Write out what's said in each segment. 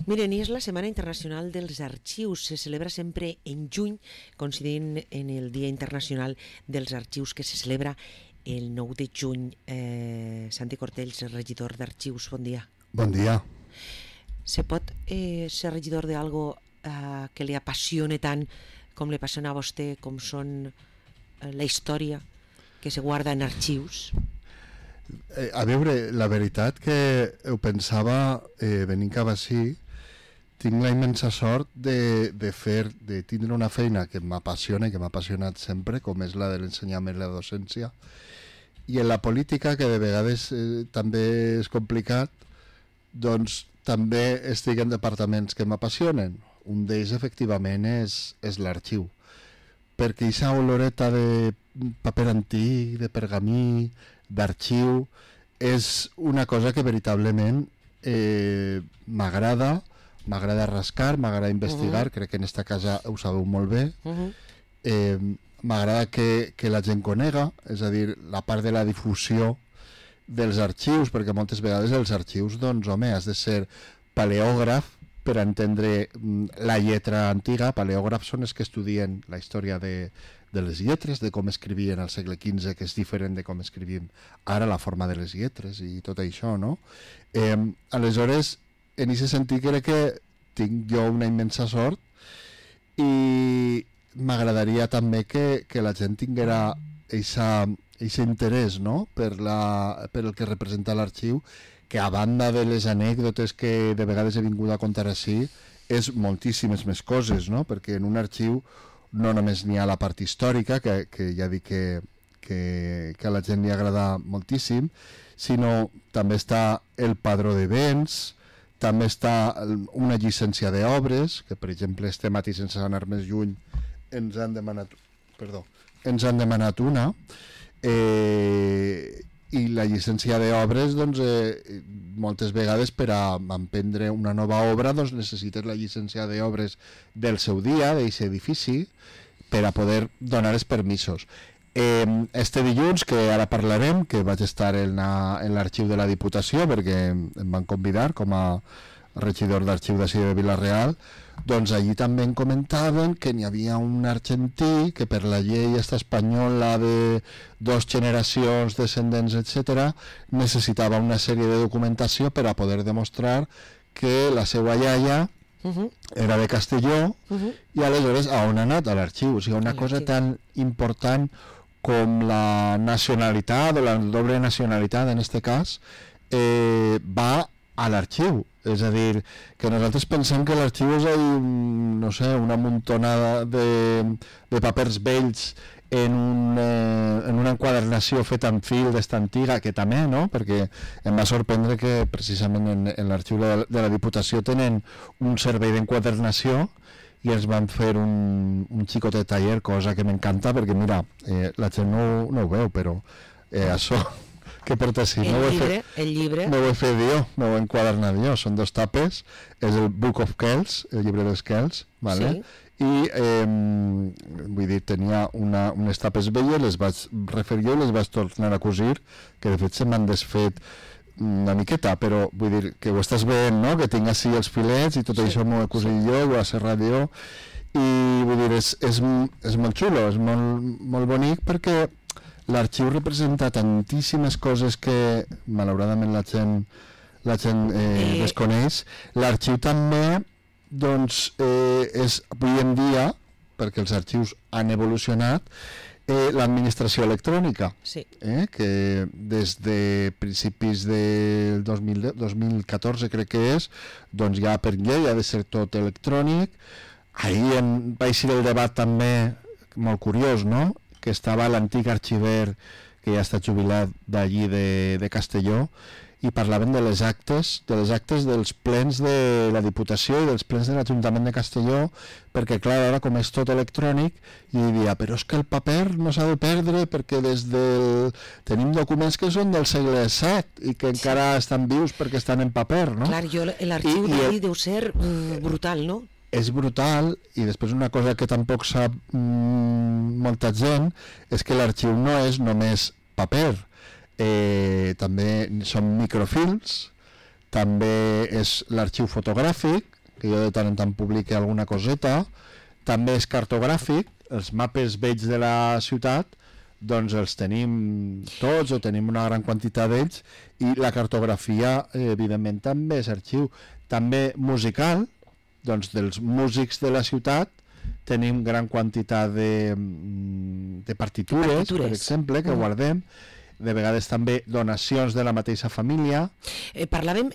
Miren, i és la Setmana Internacional dels Arxius. Se celebra sempre en juny, coincidint en el Dia Internacional dels Arxius, que se celebra el 9 de juny. Santi Cortells, regidor d'Arxius, bon dia. Bon dia. Se pot ser regidor d'algo que li apassione tant com li apassiona a vostè, com són la història que se guarda en arxius? A veure, la veritat que ho pensava venint cap així, tinc la immensa sort de tindre una feina que m'apassiona i que m'ha apassionat sempre, com és la de l'ensenyament i la docència, i en la política, que de vegades també és complicat, doncs també estic en departaments que m'apassionen. Un d'ells, efectivament, és l'arxiu, perquè aquesta oloreta de paper antic, de pergamí, d'arxiu, és una cosa que veritablement m'agrada rascar, m'agrada investigar, crec que en esta casa ho sabeu molt bé, m'agrada que la gent conega, és a dir, la part de la difusió dels arxius, perquè moltes vegades els arxius, doncs, home, has de ser paleògraf per entendre la lletra antiga. Paleògrafs són els que estudien la història de les lletres, de com escrivien al segle XV, que és diferent de com escrivim ara, la forma de les lletres i tot això, no? Aleshores, en aquest sentit crec que tinc jo una immensa sort i m'agradaria també que la gent tinguera aquest interès, no? per el que representa l'arxiu, que a banda de les anècdotes que de vegades he vingut a contar així, és moltíssimes més coses, no? Perquè en un arxiu no només n'hi ha la part històrica, que ja dic que a la gent li agrada moltíssim, sinó també està el padró de béns, també està una llicència d'obres, que per exemple este matí, sense anar més lluny, ens han demanat una, i la llicència d'obres, doncs, moltes vegades per a emprendre una nova obra doncs necessites la llicència d'obres del seu dia, d'aquest edifici, per a poder donar els permisos. Este dilluns, que ara parlarem, que vaig estar en l'arxiu de la Diputació, perquè em van convidar com a regidor d'arxiu d'ací de Vila-real, doncs allí també em comentaven que n'hi havia un argentí que per la llei espanyola de 2 generacions, descendents, etc., necessitava una sèrie de documentació per a poder demostrar que la seva iaia era de Castelló, i aleshores a on ha anat? A l'arxiu. O sigui, una cosa tan important com la nacionalitat o la doble nacionalitat, en aquest cas, va a l'arxiu. És a dir, que nosaltres pensem que l'arxiu és no sé, una muntonada de papers vells en una enquadernació feta en fil d'esta antiga, que també, no? Perquè em va sorprendre que precisament en l'arxiu de la Diputació tenen un servei d'enquadernació i ens van fer un xicotet taller, cosa que m'encanta, perquè mira, la gent no ho veu, però això que porta així, el llibre no ho he fet jo, no ho he enquadernat jo, són 2 tapes, és el Book of Kells, el llibre dels Kells, vale? Sí. I vull dir, tenia unes tapes velles, les vaig refer jo i les vaig tornar a cosir, que de fet se m'han desfet una miqueta, però vull dir que ho estàs veient, no? Que tinc així els filets i tot això m'ho he cosit jo, ho he serrat jo, i vull dir, és molt xulo, és molt bonic, perquè l'arxiu representa tantíssimes coses que malauradament la gent desconeix. L'arxiu també, doncs, és avui en dia, perquè els arxius han evolucionat, l'administració electrònica, sí. Que des de principis del 2014 crec que és, doncs ja per llei ha de ser tot electrònic. Ahir va eixir el debat també molt curiós, no?, que estava l'antic arxiver que ja està jubilat d'allí de Castelló, i parlaven de les actes dels plens de la Diputació i dels plens de l'Ajuntament de Castelló, perquè clar, ara com és tot electrònic, i diria, però és que el paper no s'ha de perdre perquè tenim documents que són del segle VII i que encara estan vius perquè estan en paper, no? Clar, l'arxiu d'ahir deu ser brutal, no? És brutal, i després una cosa que tampoc sap molta gent és que l'arxiu no és només paper, també són microfilms, també és l'arxiu fotogràfic, que jo de tant en tant publique alguna coseta. També és cartogràfic, els mapes vells de la ciutat, doncs els tenim tots o tenim una gran quantitat d'ells, i la cartografia evidentment també és arxiu. També musical, doncs dels músics de la ciutat tenim gran quantitat de partitures, per exemple, que guardem. De vegades també donacions de la mateixa família. Parlàvem,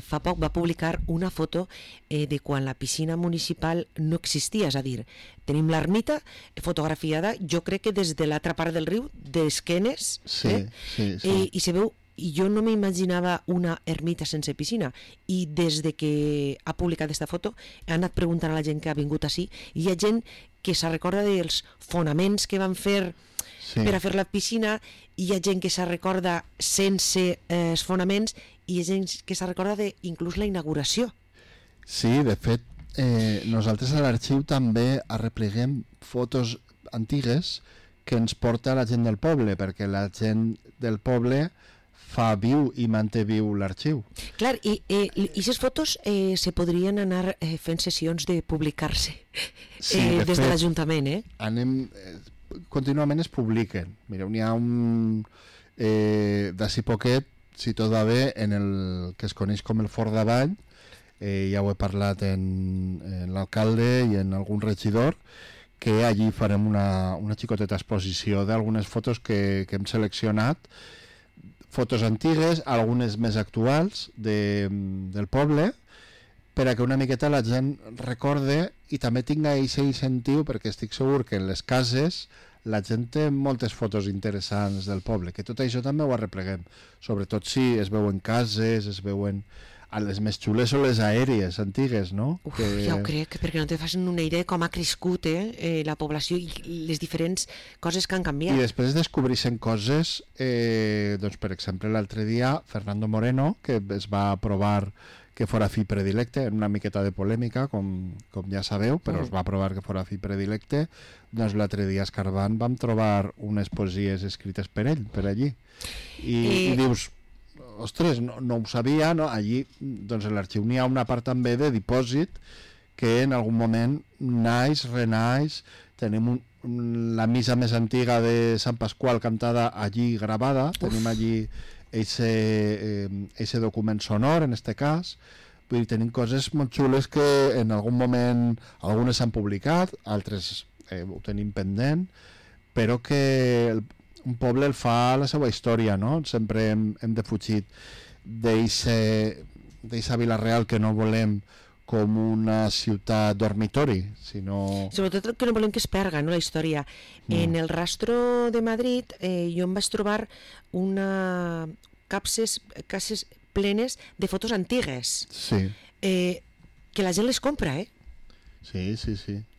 fa poc va publicar una foto de quan la piscina municipal no existia, és a dir, tenim l'ermita fotografiada, jo crec que des de l'altra part del riu, d'esquenes, sí. I se veu, i jo no m'imaginava una ermita sense piscina, i des de que ha publicat aquesta foto he anat preguntant a la gent que ha vingut així, i hi ha gent que se recorda dels fonaments que van fer per a fer la piscina, i hi ha gent que se recorda sense els fonaments, i hi ha gent que se recorda inclús la inauguració. Sí, de fet, nosaltres a l'arxiu també arrepleguem fotos antigues que ens porta la gent del poble, perquè la gent del poble fa viu i manté viu l'arxiu. Clar, i aquestes fotos se podrien anar fent sessions de publicar-se des de l'Ajuntament, contínuament es publiquen. Mireu, n'hi ha un d'ací poquet, si tot va bé, en el que es coneix com el Fort d'Avall, ja ho he parlat en l'alcalde i en algun regidor, que allí farem una xicoteta exposició d'algunes fotos que hem seleccionat, fotos antigues, algunes més actuals del poble, per a que una miqueta la gent recorde i també tinga aquest incentiu, perquè estic segur que en les cases la gent té moltes fotos interessants del poble, que tot això també ho arrepleguem, sobretot si es veuen cases, es veuen a les més xules o les aèries antigues, no? Uf, ja ho crec, perquè no te facin una idea com ha crescut la població i les diferents coses que han canviat. I després descobreixen coses, doncs per exemple l'altre dia Fernando Moreno, que es va aprovar que fora fi predilecte, en una miqueta de polèmica, com ja sabeu, però es va aprovar que fora fi predilecte, doncs l'altre dia escarbant vam trobar unes poesies escrites per ell, per allí. I dius, ostres, no ho sabia, no? Allí, doncs a l'arxiu n'hi ha una part també de dipòsit que en algun moment naix, renaix, tenim la missa més antiga de Sant Pasqual cantada allí gravada, tenim allí eixe document sonor, en este cas. Vull dir, tenim coses molt xules que en algun moment algunes s'han publicat, altres ho tenim pendent, però que un poble el fa la seva història, no? Sempre hem defugit d'eixa Vila-real que no volem com una ciutat dormitori, sinó... Sobretot que no volem que es perga, no, la història. En el Rastro de Madrid jo em vaig trobar cases plenes de fotos antigues. Sí. Que la gent les compra, Sí.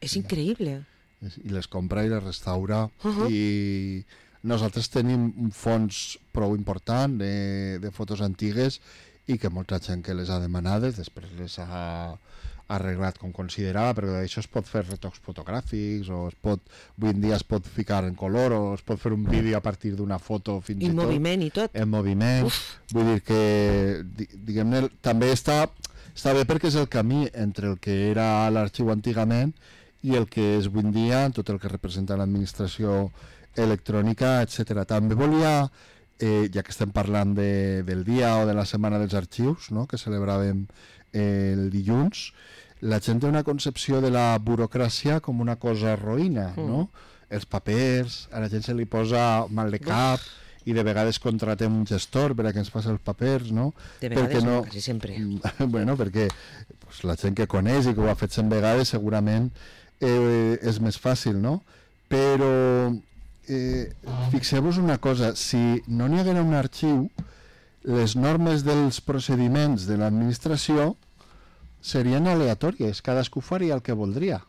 És increïble. I les compra i les restaura. I nosaltres tenim un fons prou important de fotos antigues i que molta gent que les ha demanades després les ha arreglat com considerava, perquè d'això es pot fer retocs fotogràfics o avui en dia es pot ficar en color o es pot fer un vídeo a partir d'una foto fins i tot. En moviment i tot. En moviment. Vull dir que diguem-ne, també està bé perquè és el camí entre el que era l'arxiu antigament i el que és avui en dia, tot el que representa l'administració electrònica, etc. També volia, ja que estem parlant del dia o de la setmana dels arxius, no?, que celebràvem el dilluns, la gent té una concepció de la burocràcia com una cosa roïna, no? Els papers, a la gent se li posa mal de cap i de vegades contratem un gestor per a que ens faci els papers, no? De vegades no, quasi sempre. Bueno, perquè la gent que coneix i que ho ha fet 100 vegades segurament és més fàcil, no? Però fixeu-vos una cosa, si no n'hi haguera un arxiu, les normes dels procediments de l'administració serien aleatòries, cadascú faria el que voldria.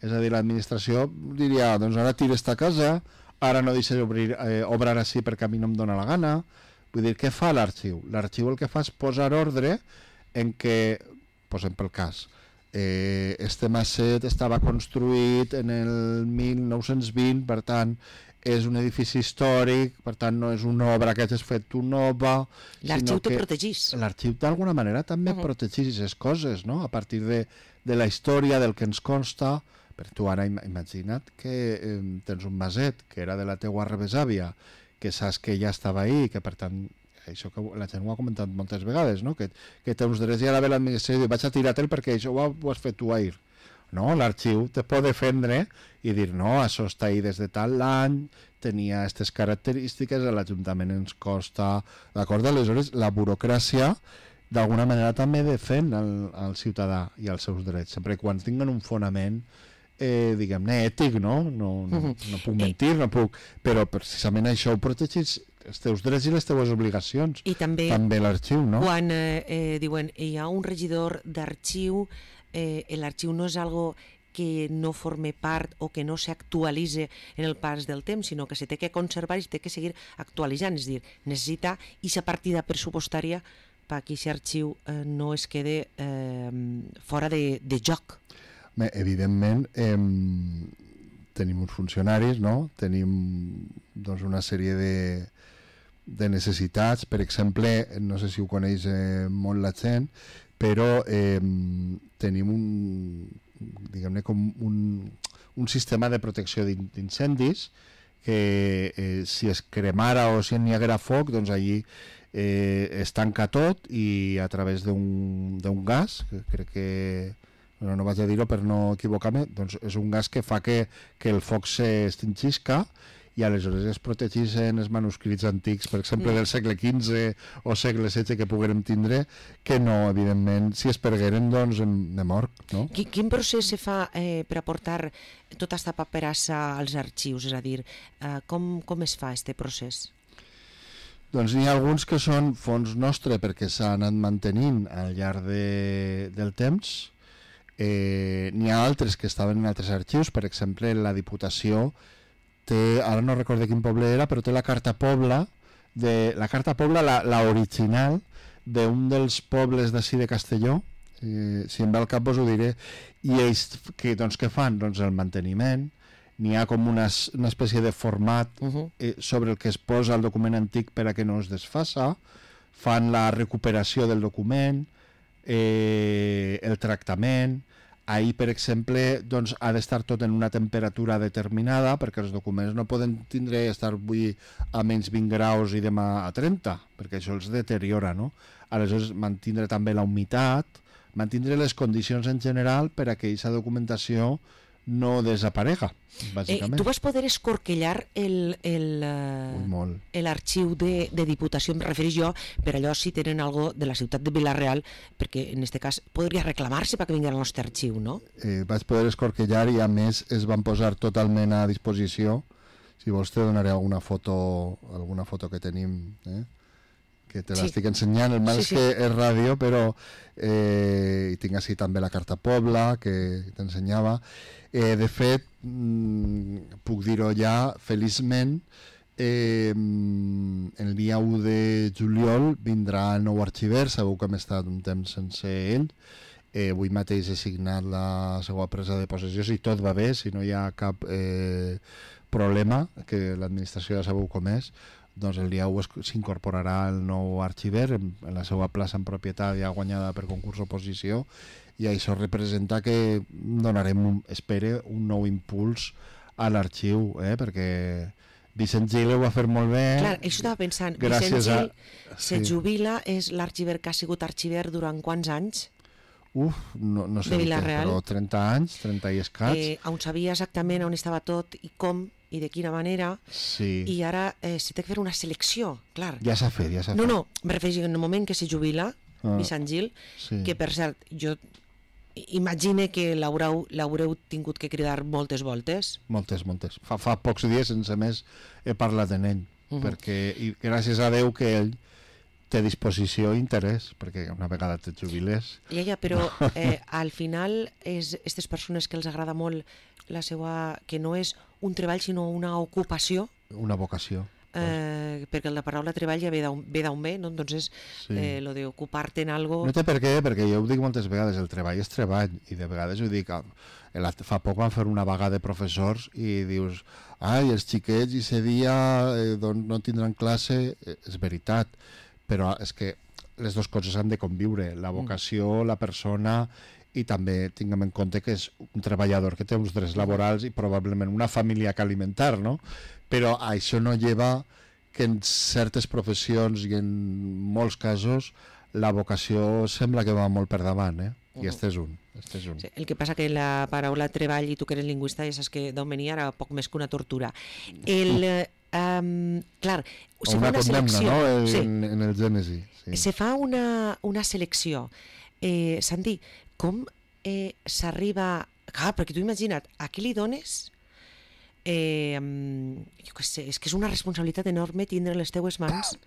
És a dir, l'administració diria, doncs ara tira esta casa, ara no deixes obrar així perquè a mi no em dóna la gana. Vull dir, què fa l'arxiu? L'arxiu el que fa és posar ordre en què, posem pel cas, este maset estava construït en el 1920, per tant, és un edifici històric, per tant no és una obra que hagis fet tu nova. L'arxiu te protegís. L'arxiu d'alguna manera també protegís les coses, no? A partir de la història, del que ens consta. Per tu ara imagina't que tens un maset que era de la teua rebesàvia, que saps que ja estava ahí, que per tant, això que la gent ho ha comentat moltes vegades, no? Que té uns drets i ara ve l'administració i diu vaig a tirar-te'l perquè això ho has fet tu ahir. No, l'arxiu te pot defendre i dir no, això està ahí des de tal any, tenia aquestes característiques, a l'Ajuntament ens costa, d'acord? Aleshores, la burocràcia d'alguna manera també defèn el ciutadà i els seus drets, sempre quan tinguen un fonament diguem-ne ètic, no? No puc mentir, no puc, però precisament això ho protegeix els teus drets i les teves obligacions. I també l'arxiu, no? Quan diuen hi ha un regidor d'arxiu, l'arxiu no és algo que no forme part o que no s'actualitza en el pas del temps, sinó que se té que conservar i se té que seguir actualitzant, és a dir, necessita aquesta partida pressupostària perquè aquest arxiu no es quede fora de joc. Bé, evidentment tenim uns funcionaris, no? Tenim doncs, una sèrie de necessitats, per exemple, no sé si ho coneix molt la gent, però tenim diguem-ne com un sistema de protecció d'incendis que si es cremara o si n'hi haguera foc, doncs allí es tanca tot i a través d'un gas, que crec que no vaig a dir-ho per no equivocar-me, doncs és un gas que fa que el foc s'extingisca i aleshores es protegeixen els manuscrits antics, per exemple del segle XV o segle XVI que poguérem tindre, que no, evidentment, si es pergueren, doncs de mort, no? Quin procés se fa per aportar tota aquesta paperassa als arxius? És a dir, com es fa aquest procés? Doncs n'hi ha alguns que són fons nostre perquè s'han anat mantenint al llarg del temps. N'hi ha altres que estaven en altres arxius, per exemple la Diputació té, ara no recordo quin poble era, però té la carta Pobla, la original d'un dels pobles d'ací de Castelló, si em ve al cap us ho diré, i ells què fan? Doncs el manteniment, n'hi ha com una espècie de format sobre el que es posa el document antic per a que no es desfassa, fan la recuperació del document, el tractament. Ahir, per exemple, doncs, ha d'estar tot en una temperatura determinada perquè els documents no poden estar avui a menys 20 graus i demà a 30, perquè això els deteriora, no? Aleshores, mantindre també la humitat, mantindre les condicions en general per a que aquesta documentació no desaparega, bàsicament. Tu vas poder escorquellar l'arxiu de Diputació, em refereix jo, per allò si tenen algo de la ciutat de Vila-real, perquè en aquest cas podria reclamar-se perquè vingui al nostre arxiu, no? Vaig poder escorquellar i a més es van posar totalment a disposició. Si vols te donaré alguna foto que tenim, que te l'estic ensenyant, el mal és que és ràdio, però tinc així també la carta Pobla que t'ensenyava. De fet, puc dir-ho ja, feliçment, el dia 1 de juliol vindrà el nou arxiver, sabeu que hem estat un temps sense ell. Avui mateix he signat la seva presa de possessió, si tot va bé, si no hi ha cap problema, que l'administració ja sabeu com és, doncs el dia 1 s'incorporarà el nou arxiver en la seva plaça en propietat ja guanyada per concurs oposició, i això representa que donarem, espere, un nou impuls a l'arxiu, perquè Vicent Gil ho va fer molt bé. Clar, això estava pensant, Vicent Gil se jubila, és l'arxiver que ha sigut arxiver durant quants anys? No sé, però 30 anys, 30 i escaig. On sabia exactament on estava tot i com i de quina manera, i ara s'ha de fer una selecció, clar. Ja s'ha fet. No, em refereixo en el moment que se jubila Vicent Gil, que per cert, jo imagine que l'haureu tingut que cridar moltes voltes. Moltes. Fa pocs dies sense més he parlat en ell, perquè gràcies a Déu que ell té disposició i interès, perquè una vegada te jubiles... Però al final és aquestes persones que els agrada molt la seva... que no és un treball sinó una ocupació. Una vocació. perquè la paraula treball ja ve d'on ve, no? Entonces, lo de ocupar-te en algo... No té per què, perquè jo ho dic moltes vegades, el treball és treball, i de vegades ho dic, fa poc van fer una vaga de professors i dius, ai, els xiquets i ese dia doncs no tindran classe, és veritat, però és que les dues coses han de conviure, la vocació, la persona, i també tinguem en compte que és un treballador que té uns drets laborals i probablement una família que alimentar, no? Però això no lleva que en certes professions i en molts casos la vocació sembla que va molt per davant, i este és un. Sí, el que passa que la paraula treball, i tu que eres lingüista ja saps que d'on venia era poc més que una tortura. Clar, se fa una selecció, no? En el Gènesi. Sí. Se fa una selecció. Santi, com s'arriba... Clar, perquè tu imagina't, a qui li dones... jo què sé, és que és una responsabilitat enorme tindre en les teues mans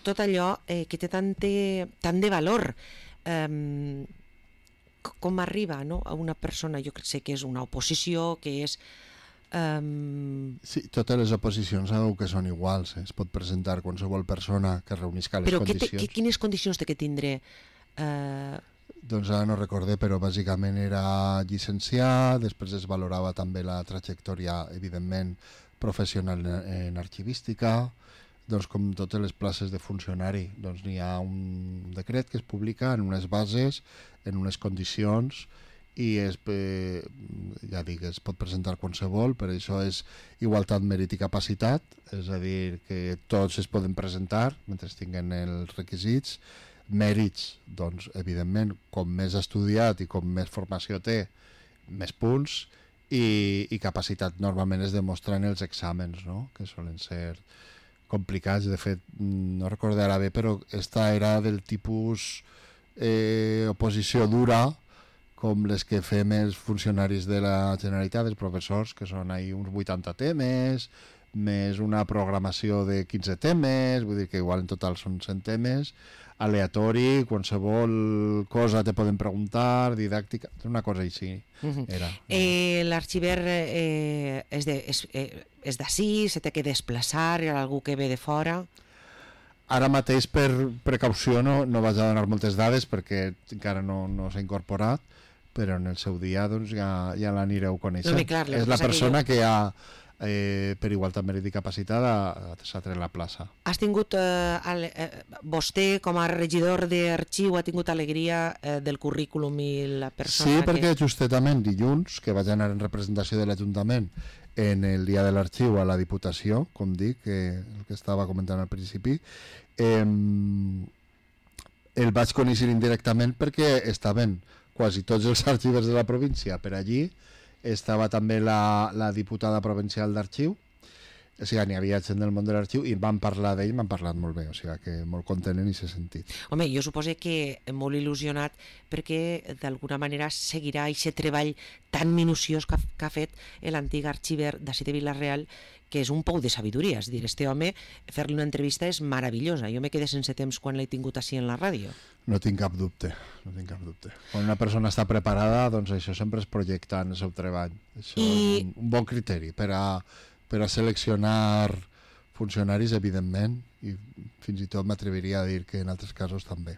tot allò que té tant de valor. Com arriba, no? A una persona, jo sé que és una oposició, que és... Sí, totes les oposicions sabeu que són iguals, es pot presentar qualsevol persona que reunisca les condicions. Però quines condicions té que tindre? Doncs ara no recordé, però bàsicament era llicenciat, després es valorava també la trajectòria, evidentment, professional en arxivística, doncs com totes les places de funcionari, doncs n'hi ha un decret que es publica en unes bases, en unes condicions, i ja dic, es pot presentar qualsevol, per això és igualtat, mèrit i capacitat, és a dir, que tots es poden presentar mentre tinguen els requisits. Mèrits, doncs, evidentment, com més estudiat i com més formació té, més punts, i capacitat normalment es demostra en els exàmens, no? Que solen ser complicats. De fet, no recordarà bé, però esta era del tipus oposició dura, com les que fem els funcionaris de la Generalitat, els professors, que són ahí uns 80 temes, més una programació de 15 temes, vull dir que igual en total són 100 temes, aleatori, qualsevol cosa te poden preguntar, didàctica, una cosa així era. L'arxiver és d'ací, se té que desplaçar, hi ha algú que ve de fora? Ara mateix, per precaució, no vaig a donar moltes dades perquè encara no s'ha incorporat, però en el seu dia doncs, ja l'anireu coneixent. No, clar, és la persona que ha, per igualtat, mèrit i capacitat, s'ha tret la plaça. Has tingut, vostè com a regidor d'arxiu ha tingut alegria del currículum i la persona Sí, perquè justament dilluns, que vaig anar en representació de l'Ajuntament en el dia de l'arxiu a la Diputació, com dic, el que estava comentant al principi, el vaig conèixer indirectament perquè estaven quasi tots els arxivers de la província per allí, estava també la diputada provincial d'arxiu, o sigui, n'hi havia gent del món de l'arxiu i van parlar d'ell, m'han parlat molt bé, o sigui que molt content en aquest sentit. Home, jo suposo que molt il·lusionat perquè d'alguna manera seguirà aquest treball tan minuciós que ha fet l'antic arxiver d'ací de Vila-real, que és un pou de sabidoria, és a dir, este home, fer-li una entrevista és meravellosa, jo me quedé sense temps quan l'he tingut així en la ràdio. No tinc cap dubte, no tinc cap dubte. Quan una persona està preparada, doncs això sempre es projecta en el seu treball. Això és un bon criteri per a seleccionar funcionaris, evidentment, i fins i tot m'atreviria a dir que en altres casos també.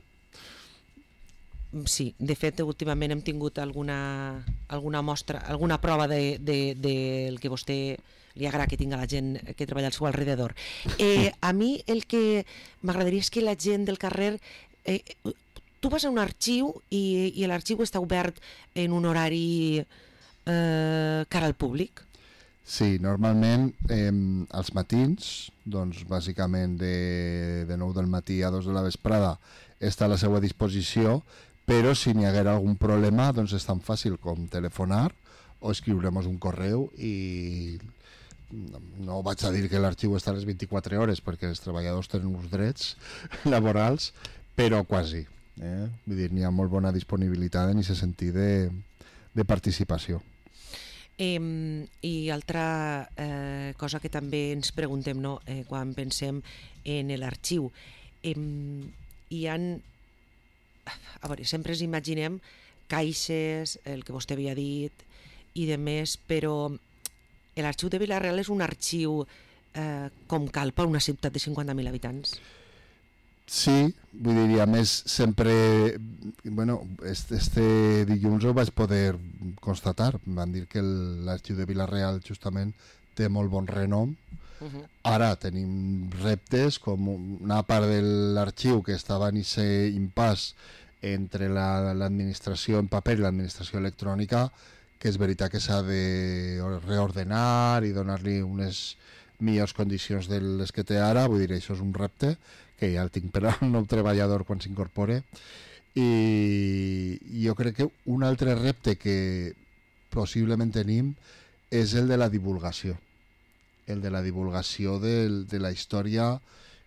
Sí, de fet, últimament hem tingut alguna mostra, alguna prova del que vostè li agrada que tingui la gent que treballa al seu alrededor. A mi el que m'agradaria és que la gent del carrer... tu vas a un arxiu i l'arxiu està obert en un horari cara al públic? Sí, normalment als matins, doncs bàsicament de 9 del matí a 2 de la vesprada està a la seva disposició, però si n'hi haguera algun problema doncs és tan fàcil com telefonar o escriurem un correu i no vaig a dir que l'arxiu està a les 24 hores perquè els treballadors tenen uns drets laborals, però quasi. Vull dir, n'hi ha molt bona disponibilitat en aquest sentit de participació. I altra cosa que també ens preguntem, no? Quan pensem en l'arxiu, hi ha, a veure, sempre ens imaginem caixes, el que vostè havia dit i de més, però l'arxiu de Vila-real és un arxiu com cal per una ciutat de 50.000 habitants. Sí, vull dir, a més sempre, bueno, este dilluns ho vaig poder constatar, van dir que l'arxiu de Vila-real justament té molt bon renom. Ara tenim reptes com una part de l'arxiu que estava en aquest impàs entre l'administració en paper i l'administració electrònica, que és veritat que s'ha de reordenar i donar-li unes millors condicions de les que té ara. Vull dir, això és un repte que ja el tinc per al nou treballador quan s'incorpore, i jo crec que un altre repte que possiblement tenim és el de la divulgació, de la història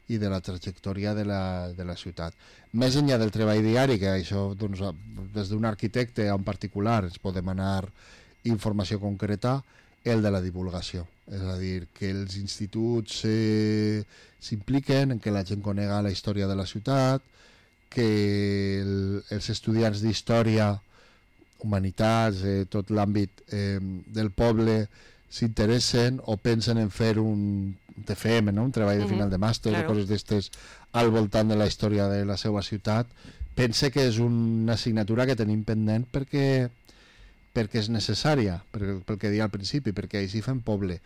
i de la trajectòria de la ciutat. Més enllà del treball diari, que això doncs, des d'un arquitecte en particular ens podem anar informació concreta, el de la divulgació, és a dir, que els instituts s'impliquen en que la gent conega la història de la ciutat, que els estudiants d'història, humanitats, tot l'àmbit del poble s'interessen o pensen en fer un TFM, no? Un treball de final de màster, claro, o coses d'estes al voltant de la història de la seva ciutat. Pense que és una assignatura que tenim pendent perquè és necessària, pel que deia al principi, perquè així fem poble.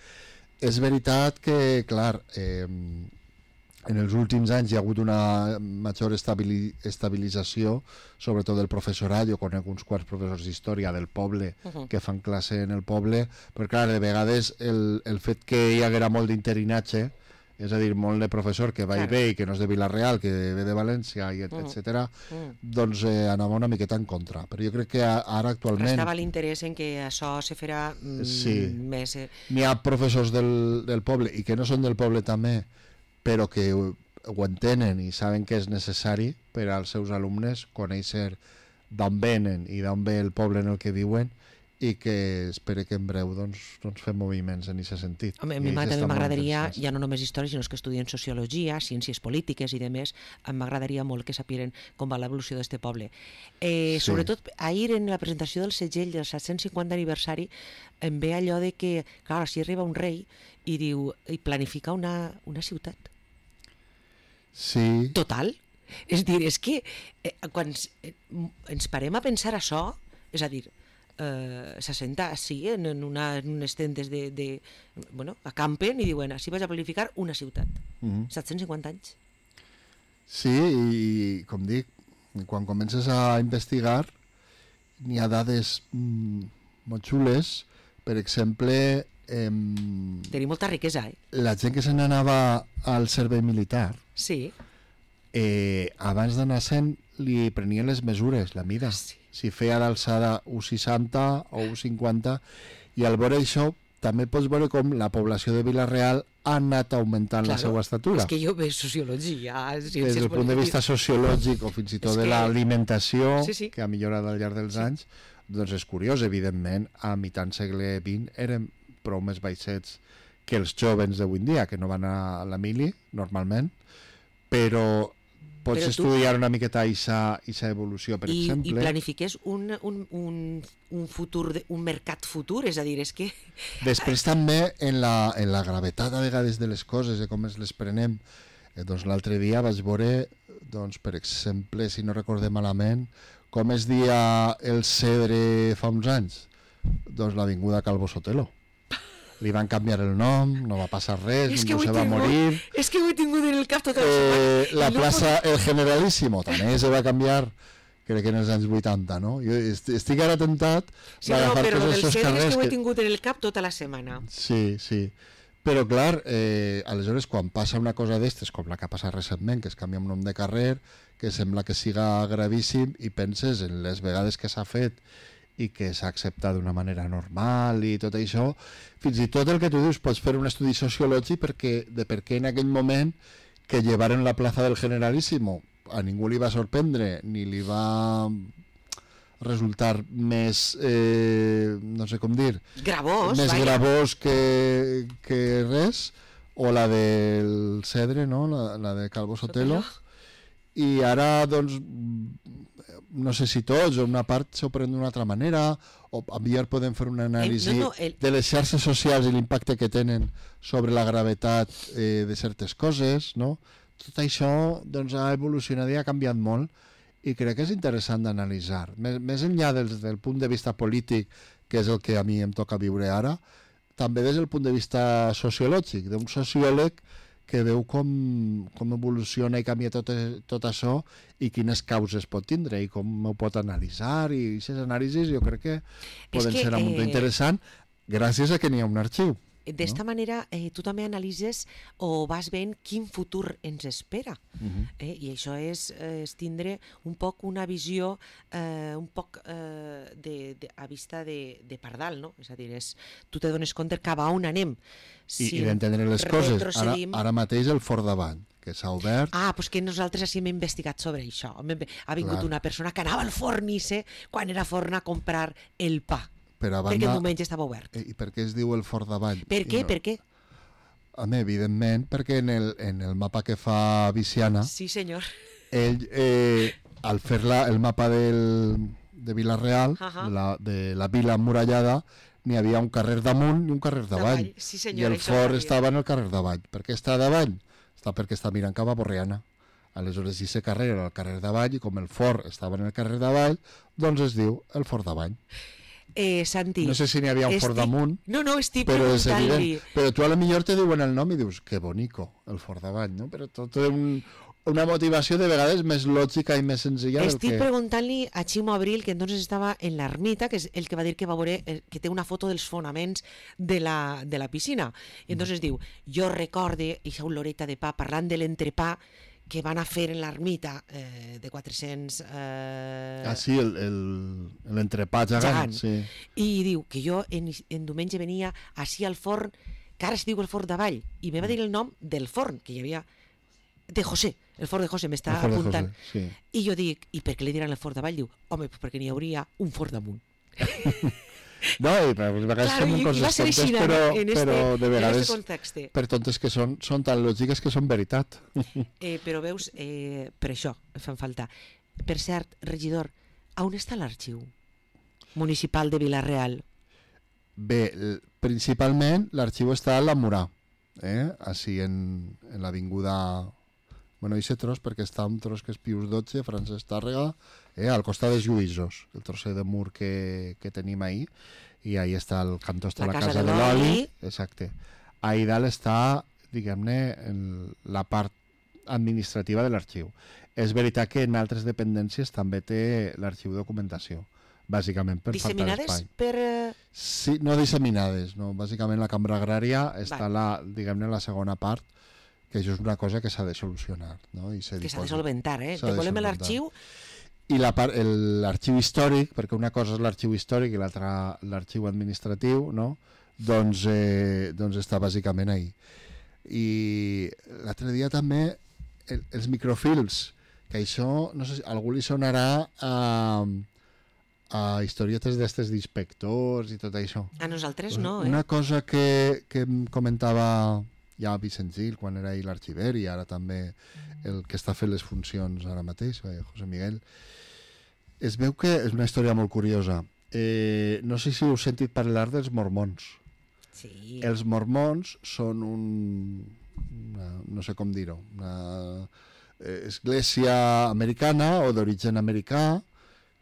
És veritat que, clar, en els últims anys hi ha hagut una major estabilització, sobretot del professorat. Jo conec uns quants professors d'història del poble que fan classe en el poble, però clar, de vegades el fet que hi haguera molt d'interinatge, és a dir, molt de professor que va i ve i que no és de Vila-real, que ve de València, etc., doncs anava una miqueta en contra. Però jo crec que ara actualment... Restava l'interès en que això se farà més... N'hi ha professors del poble, i que no són del poble també, però que ho entenen i saben que és necessari per als seus alumnes conèixer d'on venen i d'on ve el poble en el que viuen, i que espero que en breu doncs fem moviments en aquest sentit. Home, a mi també m'agradaria, ja no només història, sinó que estudien sociologia, ciències polítiques i demés, m'agradaria molt que sapiguin com va l'evolució d'aquest poble. Sobretot, ahir en la presentació del segell del 750 aniversari em ve allò de que, clar, si arriba un rei i diu, i planifica una ciutat. Sí. Total. És dir, és que quan ens parem a pensar això, és a dir, s'assenta així en unes tendes bueno, acampen i diuen, així vaig a planificar una ciutat. 750 anys. Sí, i com dic, quan comences a investigar n'hi ha dades molt xules. Per exemple, tenim molta riquesa, la gent que se n'anava al servei militar, sí, abans d'anar-se'n li prenien les mesures, la mida. Sí. Si feia d'alçada 1,60 o 1,50, i al veure això també pots veure com la població de Vila-real ha anat augmentant la seva estatura. És que jo veig sociologia, des del punt de vista sociològic o fins i tot de l'alimentació, que ha millorat al llarg dels anys, doncs és curiós. Evidentment, a mitjan segle XX eren prou més baixets que els jovens d'avui en dia, que no van a la mili, normalment, però pots estudiar una miqueta aquesta evolució, per exemple. I planifiques un futur, un mercat futur, és a dir, és que... Després també en la gravetat a vegades de les coses, de com ens les prenem. Doncs l'altre dia vaig veure, doncs, per exemple, si no recordem malament, com es dia el Cedre fa uns anys. Doncs l'Avinguda Calvo Sotelo. Li van canviar el nom, no va passar res, ningú se va morir. És que ho he tingut en el cap tota la setmana. La plaça El Generalísimo també se va canviar, crec que en els anys 80, no? Jo estic ara tentat d'agafar tots els seus carrers. És que ho he tingut en el cap tota la setmana. Sí, sí. Però clar, aleshores quan passa una cosa d'estes, com la que ha passat recentment, que es canvia un nom de carrer, que sembla que siga gravíssim, i penses en les vegades que s'ha fet i que s'ha acceptat d'una manera normal i tot això, fins i tot el que tu dius, pots fer un estudi sociològic de per què en aquell moment que llevaren la plaça del Generalísimo a ningú li va sorprendre ni li va resultar més no sé com dir, gravós que res, o la del Cedre, no? la de Calvo Sotelo. i ara, doncs, no sé si tots o una part s'ho pren d'una altra manera, o millor podem fer una anàlisi de les xarxes socials i l'impacte que tenen sobre la gravetat de certes coses, no? Tot això doncs, ha evolucionat i ha canviat molt, i crec que és interessant d'analitzar. Més enllà del punt de vista polític, que és el que a mi em toca viure ara, també des del punt de vista sociològic, d'un sociòleg que veu com evoluciona i canvia tot això i quines causes pot tindre i com ho pot analitzar, i aquestes anàlisis jo crec que poden ser molt interessant gràcies a que n'hi ha un arxiu. D'esta manera tu també analitzes o vas veient quin futur ens espera. I això és tindre un poc una visió un poc a vista de pardal, no? És a dir, tu te dones compte cap a on anem. I d'entendre les coses. Ara mateix el Fort Davant, que s'ha obert... Doncs que nosaltres sí hem investigat sobre això. Ha vingut una persona que anava al fornice quan era forn a comprar el pa. Perquè el diumenge estava obert. I per què es diu el Fort Davall? Per què? Per què? Home, evidentment, perquè en el mapa que fa Viciana, sí, senyor, ell, al fer el mapa de Vila-real, de la vila emmurallada, n'hi havia un carrer damunt i un carrer davall. Sí, senyor, i el fort estava en el carrer davall. Per què està davall? Perquè està mirant cap a Borriana. Aleshores, aquest carrer era el carrer davall, i com el fort estava en el carrer davall, doncs es diu el Fort Davall. Santi, no sé si n'hi havia un fort damunt, no, estic preguntant-li, però tu a lo millor te diuen el nom i dius que bonico, el Fort Davall, no? Però tot té una motivació de vegades més lògica i més senzilla. Estic preguntant-li a Ximo Abril, que entonces estava en l'ermita, que és el que va dir que va veure, que té una foto dels fonaments de la piscina, i entonces diu, jo recorde aquesta oloreta de pa, parlant de l'entrepà que van a fer en l'ermita de 400... sí, l'entrepà gegant. Sí. I diu que jo en diumenge venia així al forn, que ara es diu el Fort Davall, i me va dir el nom del forn, que hi havia... de José, el Fort de José m'està apuntant. José, sí. I jo dic, i per què li diran el Fort Davall? Diu, home, perquè n'hi hauria un fort damunt. No, i a vegades són coses tontes, però de vegades per tontes que són tan lògiques que són veritat. Però veus, per això fan falta. Per cert, regidor, on està l'arxiu municipal de Vila-real? Bé, principalment l'arxiu està a la Murà, així en l'avinguda... Bueno, i tros, perquè està un tros que és Pius XII, Francesc Tàrrega, al costat dels Lluïsos, el trosser de mur que tenim ahí, i ahí està el cantó, està la casa de l'oli. Exacte. Ahí dalt està, diguem-ne, la part administrativa de l'arxiu. És veritat que en altres dependències també té l'arxiu de documentació, bàsicament per falta d'espai. Sí, no disseminades, no. Bàsicament la cambra agrària està, diguem-ne, la segona part, que això és una cosa que s'ha de solucionar, no? I que s'ha de solventar, De volem l'arxiu... I l'arxiu històric, perquè una cosa és l'arxiu històric i l'altra l'arxiu administratiu, no? Doncs està bàsicament ahí. I l'altre dia també els microfilms, que això, no sé si a algú li sonarà a historietes d'estes d'inspectors i tot això. A nosaltres no, Una cosa que em comentava ja Vicent Gil quan era ahir l'arxiver, i ara també el que està fent les funcions ara mateix, José Miguel, es veu que és una història molt curiosa. No sé si heu sentit parlar dels mormons. Sí. Els mormons són no sé com dir-ho, una església americana o d'origen americà,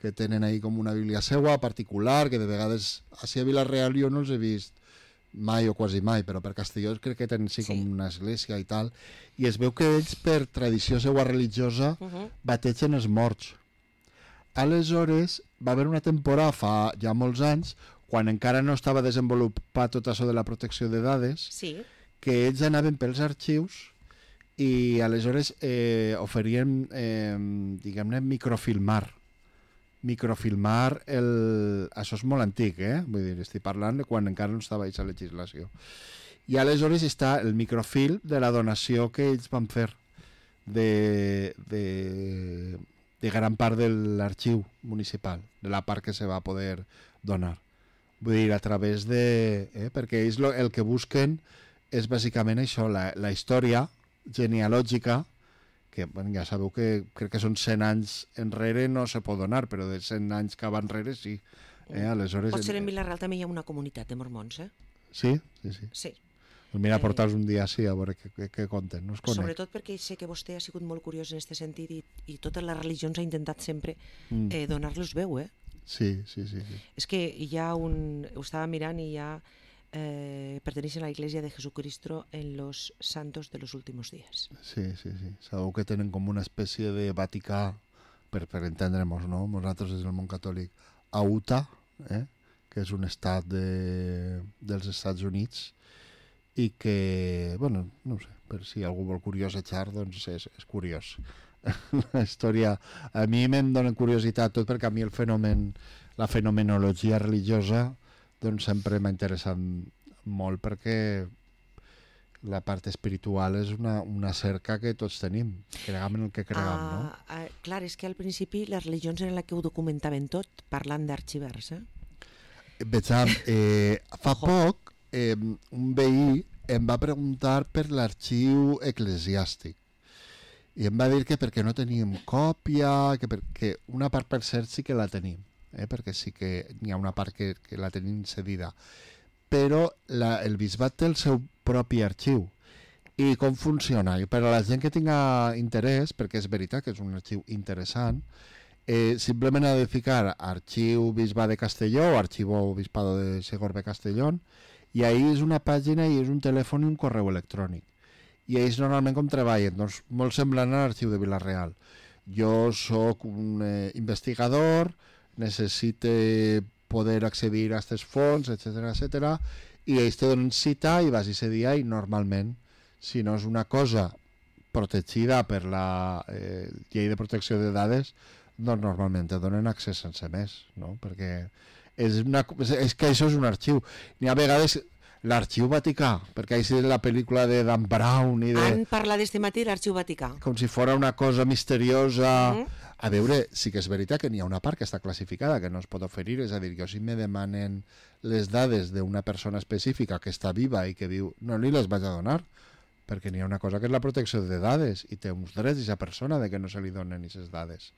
que tenen ahí com una bíblia seua particular, que de vegades a Vila-real jo no els he vist mai o quasi mai, però per Castelló crec que tenen com una església i tal, i es veu que ells per tradició seua religiosa bategen els morts. Aleshores va haver una temporada fa ja molts anys, quan encara no estava desenvolupat tot això de la protecció de dades, que ells anaven pels arxius i aleshores oferien, diguem-ne, microfilmar, això és molt antic, vull dir, estic parlant de quan encara no estava aquesta legislació. I aleshores està el microfilm de la donació que ells van fer de gran part de l'arxiu municipal, de la part que se va poder donar. Vull dir, a través de... perquè ells el que busquen és bàsicament això, la història genealògica que bueno, ja sabeu que crec que són 100 anys enrere no se pot donar, però de 100 anys cap enrere sí. Aleshores, Potser en Vila-real també hi ha una comunitat de mormons, Sí, sí, sí. Sí. Pues mira, portar-los un dia així a veure què conten, no es conec. Sobretot perquè sé que vostè ha sigut molt curiós en aquest sentit i totes les religions ha intentat sempre donar-los veu, Sí. És que hi ha ho estava mirant i hi ha pertenecen a la Iglesia de Jesucristo en los santos de los últimos días. Sí. Sabeu que tenen com una espècie de Vaticà, per entendre'ns, no? Nosaltres des del món catòlic, a Utah, que és un estat dels Estats Units, i que, bueno, no sé, per si algú vol curiosejar, doncs és curiós. La història, a mi me'n dona curiositat tot perquè a mi la fenomenologia religiosa doncs sempre m'ha interessat molt perquè la part espiritual és una cerca que tots tenim, cregam en el que cregam, no? Clar, és que al principi les religions eren la que ho documentaven tot, parlant d'arxivers, Vejam, fa poc un veí em va preguntar per l'arxiu eclesiàstic i em va dir que perquè no teníem còpia, que perquè una part per cert sí que la tenim, perquè sí que n'hi ha una part que la tenim cedida, però el bisbat té el seu propi arxiu. I com funciona? I per a la gent que tinga interès, perquè és veritat que és un arxiu interessant, simplement ha de ficar arxiu Bisbat de Castelló o arxivo Obispado de Segorbe Castellón, i ahí és una pàgina i és un telèfon i un correu electrònic. I ells normalment com treballen? Doncs molt semblant a l'arxiu de Vila-real. Jo sóc un investigador, necessite poder accedir a aquests fons, etc. I ells te donen cita i vas ese dia i normalment, si no és una cosa protegida per la llei de protecció de dades, doncs normalment te donen accés sense més, no? Perquè és que això és un arxiu. N'hi ha vegades l'arxiu Vaticà, perquè així és la pel·lícula de Dan Brown i de... Han parlat d'este matí l'arxiu Vaticà. Com si fos una cosa misteriosa. A veure, sí que és veritat que n'hi ha una part que està classificada, que no es pot oferir, és a dir, que si me demanen les dades d'una persona específica que està viva i que viu, no li les vaig a donar, perquè n'hi ha una cosa que és la protecció de dades i té uns drets d'aquesta persona de que no se li donen aquestes dades.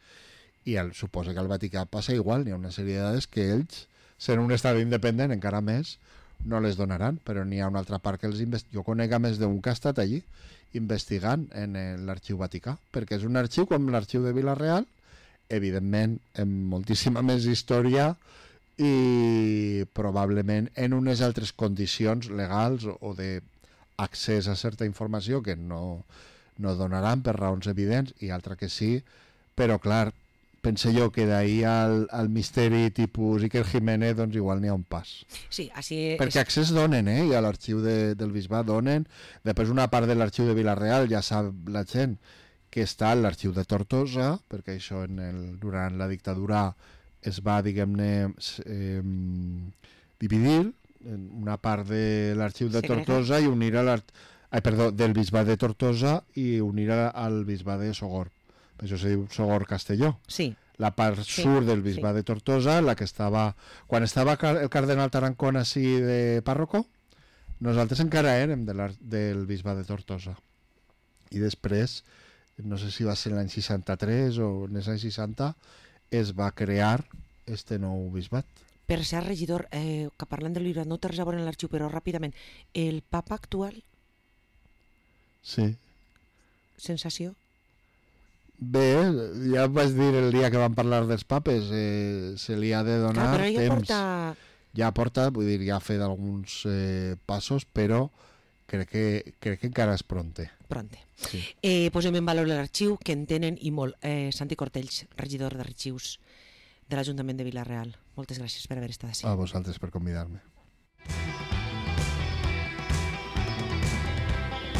I suposa que al Vaticà passa igual, n'hi ha una sèrie de dades que ells, sent un estat independent encara més, no les donaran, però n'hi ha una altra part que jo conec a més d'un que ha estat allí investigant en l'arxiu Vaticà, perquè és un arxiu com l'arxiu de Vila-real, evidentment amb moltíssima més història i probablement en unes altres condicions legals o d'accés a certa informació que no donaran per raons evidents i altra que sí, però clar, pense jo que d'ahir al misteri tipus Iker Jiménez doncs igual n'hi ha un pas. Sí, així perquè accés donen, i a l'arxiu del bisbat donen. Després una part de l'arxiu de Vila-real ja sap la gent que està a l'arxiu de Tortosa, perquè això durant la dictadura es va, diguem-ne, dividir en una part de l'arxiu de Tortosa i unir del bisbat de Tortosa i unir al bisbat de Sogorb. Això se diu Sogorb Castelló. Sí. La part sud del bisbat de Tortosa, la que estava... Quan estava el cardenal Tarancón així de pàrroco, nosaltres encara érem del bisbat de Tortosa. I després, no sé si va ser l'any 63 o en els anys 60, es va crear este nou bisbat. Per ser regidor, que parlant del bisbat, no té res a veure en l'arxiu, però ràpidament, el papa actual... Sí. Sensació? Bé, ja vaig dir el dia que vam parlar dels papes, se li ha de donar temps. Ja porta, vull dir, ja ha fet alguns passos, però crec que encara és pronte. Sí. Posem en valor l'arxiu, que en tenen i molt. Santi Cortells, regidor d'arxius de l'Ajuntament de Vila-real. Moltes gràcies per haver estat així. A vosaltres per convidar-me.